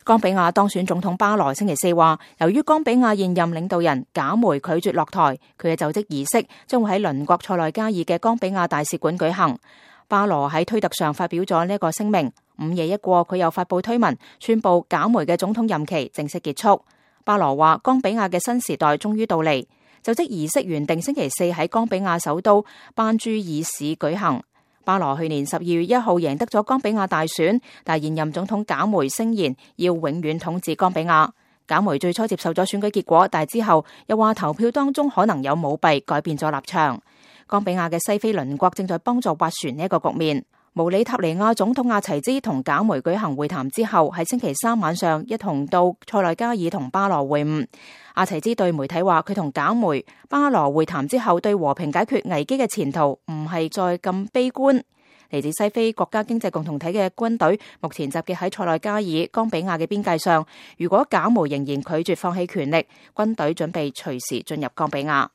岡比亞當選總統巴羅星期四話，由於岡比亞現任領導人賈梅拒絕落台，佢嘅就職儀式將會喺鄰國塞內加爾嘅岡比亞大使館舉行。巴羅喺推特上發表咗呢一個聲明，午夜一過，佢又發佈推文，宣布賈梅嘅總統任期正式結束。巴羅話，岡比亞嘅新時代終於到嚟。就職儀式原定星期四喺岡比亞首都班朱爾市舉行。巴羅去年12月1號贏得咗岡比亞大選，但現任總統賈梅聲言要永遠統治岡比亞。賈梅最初接受咗選舉結果，但之後又話投票當中可能有舞弊，改變咗立場。岡比亞嘅西非鄰國正在幫助斡旋呢一個局面。毛里塔尼亞總統阿齊茲同賈梅舉行會談之後，喺星期三晚上一同到塞內加爾同巴羅會晤。阿齊茲對媒體話，佢同賈梅、巴羅會談之後，對和平解決危機嘅前途唔係再咁悲觀。嚟自西非國家經濟共同體嘅軍隊目前集結喺塞內加爾、岡比亞嘅邊界上。如果賈梅仍然拒絕放棄權力，軍隊準備隨時進入岡比亞。